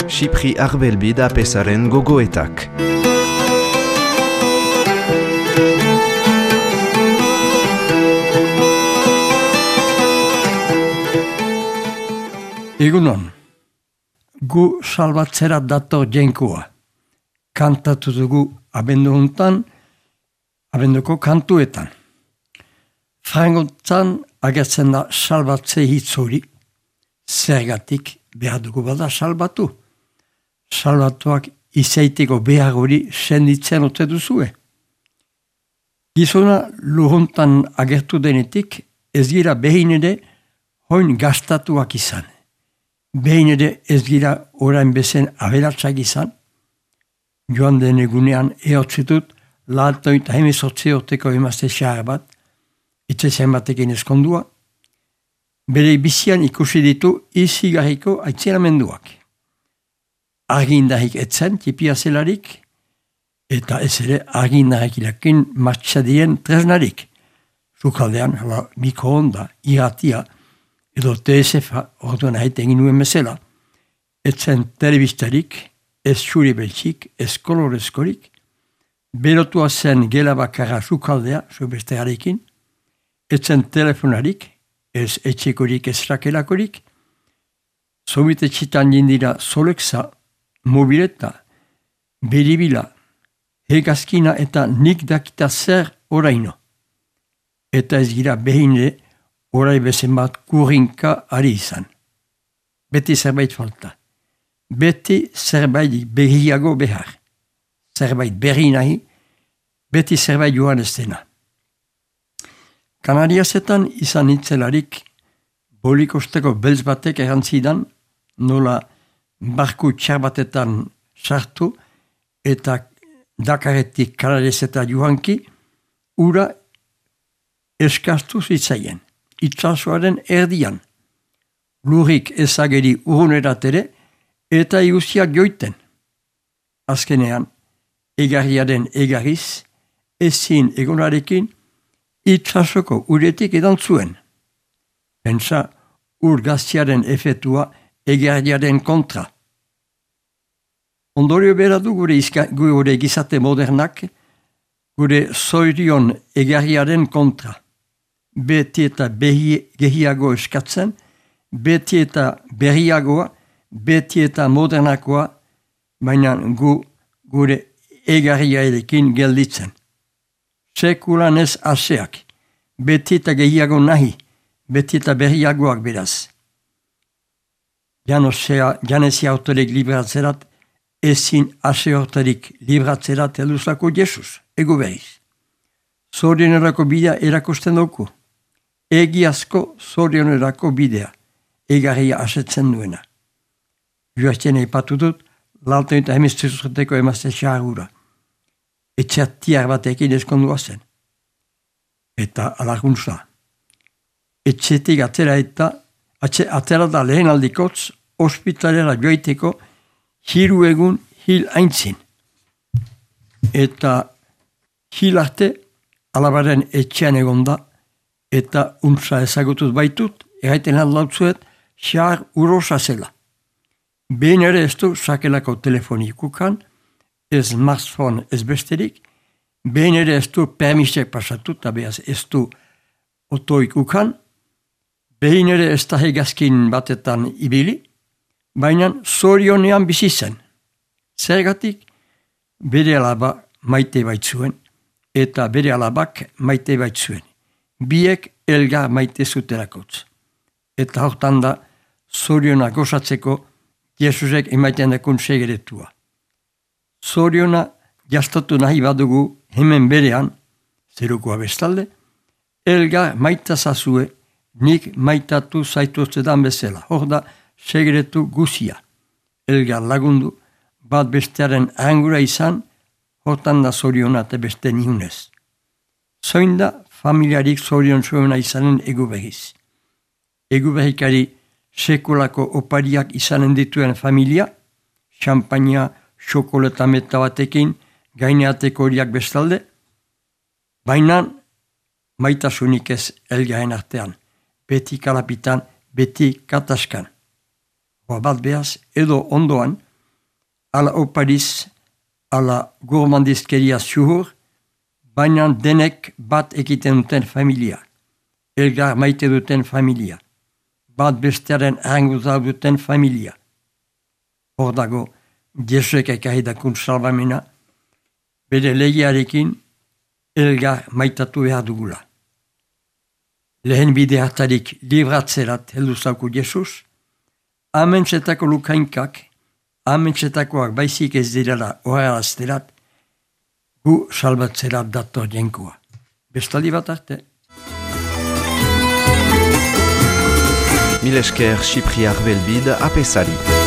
Xipri Arbelbi da pesaren gogoetak. Egunon, gu salbatzera dator jainkoa. Kantatu dugu abenduko kantuetan. Frangotan agertzen da salbatze hitz hori, zergatik behar dugu bada salbatu. Salbatuak izaiteko behar hori senditzen ote duzue. Gizona luruntan agertu denetik ez gira behin ere hoin gastatuak izan. Behin ere ez gira orain bezen aberatsak izan. Joan den egunean ehotzitut laatoita hemezortzi urteko emazte xahar bat, itzezen batekin eskondua, bere bizian ikusi ditu izigarriko aitzenamenduak. Argindarrik etzen, tipia zelarik, eta ez ere argindarrik ilakin martxadien tresnarik. Zukaldean, mikroonda, irratia, edo TSF-a orduan haite egin nuen bezala, etzen telebistarik, ez xuri beltxik, ez kolorezkorik, berotua zen gela bakarra zukaldea, zubesterarekin, etzen telefonarik, ez etxekorik, ez rakelakorik, sobitetxitan jindira Solexa, mobileta, beribila, hegazkina eta nik dakita zer oraino. Eta ez gira behine orai bezen bat kurrinka ari izan. Beti zerbait falta. Beti zerbait berriago behar. Zerbait berri nahi, beti zerbait joan ez dena. Kanariasetan izan hitzelarik bolikosteko beltz batek erantzidan, nola barku txar batetan sartu eta Dakaretik Kanariaseta joanki, ura eskastu zitzaien, itsasoaren erdian. Lurrik ezageri urrunerat ere eta iguziak joiten. Azkenean, egarriaren egarriz, ezin egonarekin, itsasoko uretik edan zuen. Pentsa, ur gaztiaren efetua egarriaren kontra. Ondorio bera du gure gizate modernak, gure zoirion egarriaren kontra. Beti eta gehiago eskatzen, beti eta berriagoa, beti eta modernakoa, baina gure egarriarekin gelditzen. Sekulan ez aseak, beti eta gehiago nahi, beti eta berriagoak beraz. Janezia autorik libratzerat, ezin ase hortarik libratzerat eluzlako Jesus, ego behiz. Zorionerako bidea erakusten dugu. Egiazko zorionerako bidea, egarria asetzen duena. Joazten eipatu dut, lalten eta hemeztezuteko emazte xarura. Etxeatiar batekin eskondua zen. Eta alaguntza. Etxetik atera da lehen aldikotz, ospitalera joiteko, hiru egun hil aintzin. Eta hil arte, alabaren etxean egonda, eta untza ezagutuz baitut, erraiten lautzuet, xar urosa zela. Behin ere ez du sakelako telefonikukan, ez smartphone ez besterik, behin ere ez du permisek pasatu, eta behaz ez du otoikukan, behin ere ez da hegazkin batetan ibili, baina zorionean bizi zen. Zergatik, bere alaba maite baitzuen, eta bere alabak maite baitzuen. Biek elgar maite zuterakotz. Eta hortan da, zoriona gozatzeko, Jesusek emaiten dakun segeretua. Zoriona jastatu nahi badugu hemen berean, zerukoa bestalde, elgar maitazazue, nik maitatu zaituztetan bezala. Hor da, segeretu guzia. Elgar lagundu, bat bestearen angura izan, hortan da zoriona eta beste nihunez. Zoin da, familiarik zorion zuena izanen egu behiz. Egu behikari sekolako opariak izanen dituen familia, xampaina, xokoleta meta batekin, gaineateko horiak bestalde, baina maitasunik ez elgaren artean, beti kalapitan, beti kataskan. bat behaz, edo ondoan, ala opariz, ala gourmandizkeria zuhur, baina denek bat ekiten duten familia, elgar maite duten familia, bat bestearen ahanguza duten familia. Hor dago, Jesuek ekahidakun salbamena, bere legiarekin elgar maitatu behar dugula. Lehen bide hartarik libratzerat heldu zauku Jesus, amentsetako lukainkak, amentsetakoak baizik ez direla oharazterat, gu salbatzerat dator jenkoa. Bestaldi bat arte. Mil esker Sipriar Belbid apesari.